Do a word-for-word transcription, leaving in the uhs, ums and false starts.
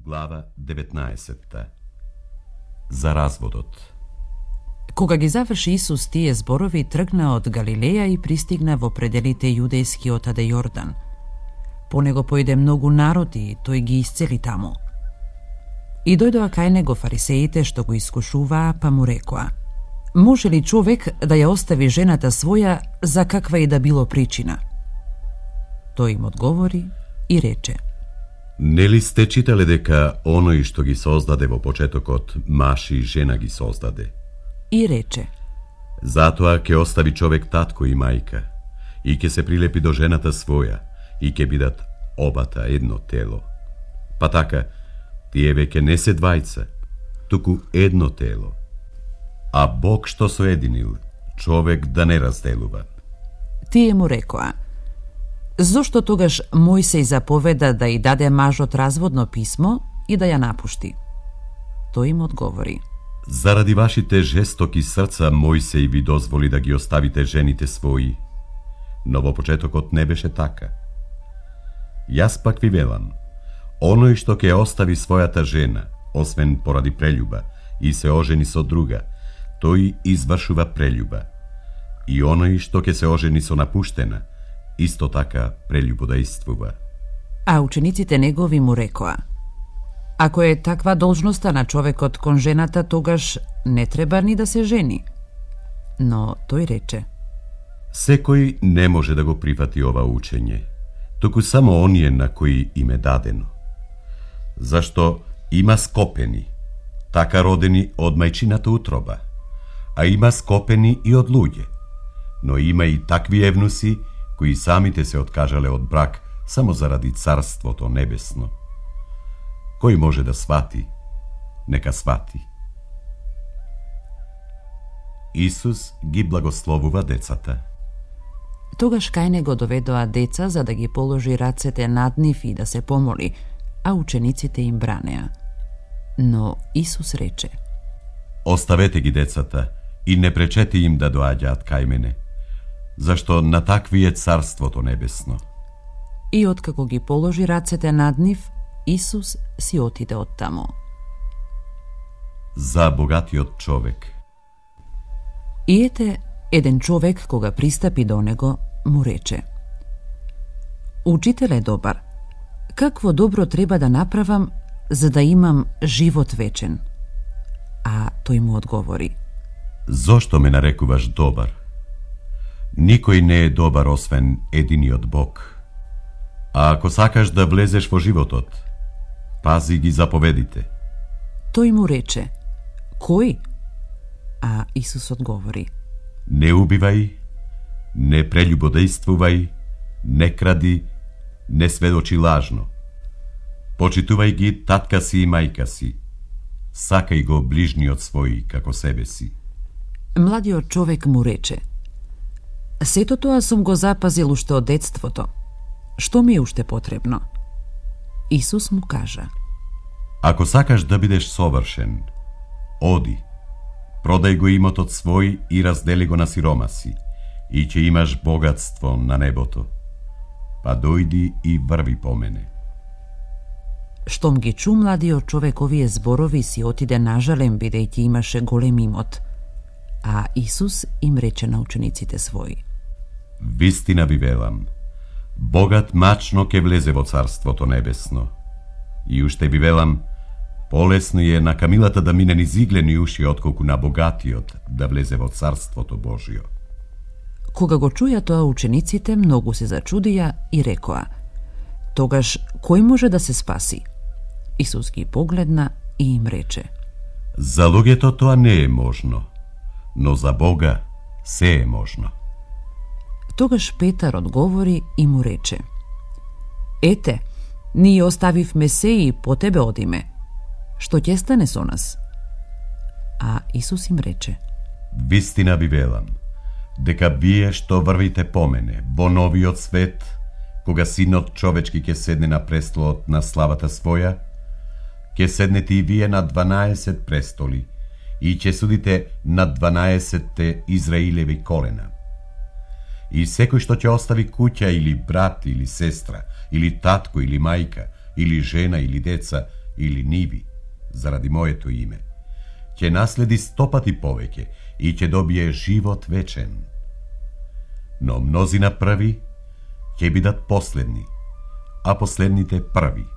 Глава деветнаесетта. За разводот. Кога ги заврши Исус тие зборови, тргна од Галилеја и пристигна во пределите јудејски од Јордан. По него појде многу народ и тој ги исцели таму. И дојдоа кај него фарисеите што го искушуваа, па му рекоа: може ли човек да ја остави жената своја за каква и да било причина? Тој им одговори и рече: Нели сте читале дека оној што ги создаде во почетокот маж и жена ги создаде? И рече: Затоа ќе остави човек татко и мајка и ќе се прилепи до жената своја и ќе бидат обата едно тело. Па така, тие веќе не се двајца, туку едно тело. А Бог што соединил, човек да не разделува. Тие му рекоа: зошто тогаш Мојсей заповеда да и даде мажот разводно писмо и да ја напушти? Тој им одговори: Заради вашите жестоки срца Мојсей ви дозволи да ги оставите жените своји, но во почетокот не беше така. Јас пак ви велам, оној што ќе остави својата жена, освен поради прелюба, и се ожени со друга, тој извршува прелюба. И оној што ќе се ожени со напуштена, исто така прелюбодејствува. А учениците негови му рекоа: ако е таква должноста на човекот кон жената, тогаш не треба ни да се жени. Но тој рече: Секој не може да го прифати ова учење, туку само оние на кои им е дадено. Зашто има скопени, така родени од мајчината утроба, а има скопени и од луѓе, но има и такви евнуси кои самите се откажале од брак само заради Царството Небесно. Кој може да свати, нека свати. Исус ги благословува децата. Тогаш кај него доведоа деца за да ги положи рацете над нив и да се помоли, а учениците им бранеа. Но Исус рече: Оставете ги децата и не пречете им да доаѓаат кај мене, зашто на такви е Царството Небесно. И откако ги положи рацете над нив, Исус си отиде од таму. За богатиот човек. И ете, еден човек кога пристапи до него, му рече: Учителе добар, какво добро треба да направам за да имам живот вечен? А тој му одговори: Зошто ме нарекуваш добар? Никој не е добар освен единиот Бог. А ако сакаш да влезеш во животот, пази ги заповедите. Тој му рече: кој? А Исус одговори: Не убивај, не прелюбодејствувај, не кради, не сведочи лажно. Почитувај ги татка си и мајка си. Сакај го ближниот свој како себе си. Младиот човек му рече: Сето тоа сум го запазил уште од детството. Што ми е уште потребно? Исус му кажа: Ако сакаш да бидеш совршен, оди, продај го имотот свој и раздели го на сиромаси, и ќе имаш богатство на небото. Па дојди и врви по мене. Штом ги чу младиот човек овие зборови, си отиде нажален, бидејќи имаше голем имот. А Исус им рече на учениците своји: Вистина ви велам, богат мачно ќе влезе во Царството Небесно. И уште ви велам, полесно е на камилата да мине низ иглени уши, отколку на богатиот да влезе во Царството Божјо. Кога го чуја тоа учениците, многу се зачудија и рекоа: Тогаш кој може да се спаси? Исус ги погледна и им рече: За луѓето тоа не е можно, но за Бога се е можно. Тогаш Петар одговори и му рече: Ете, ние оставивме се и по тебе одиме. Што ќе стане со нас? А Исус им рече: Вистина ви велам, дека вие што врвите по мене во новиот свет, кога Синот човечки ќе седне на престолот на славата своја, ќе седнете и вие на дванаесет престоли и ќе судите на дванаесетте Израилеви колена. И секој што ќе остави куќа или брат или сестра, или татко или мајка, или жена или деца, или ниви, заради моето име, ќе наследи стопати повеќе и ќе добие живот вечен. Но мнозина први ќе бидат последни, а последните први.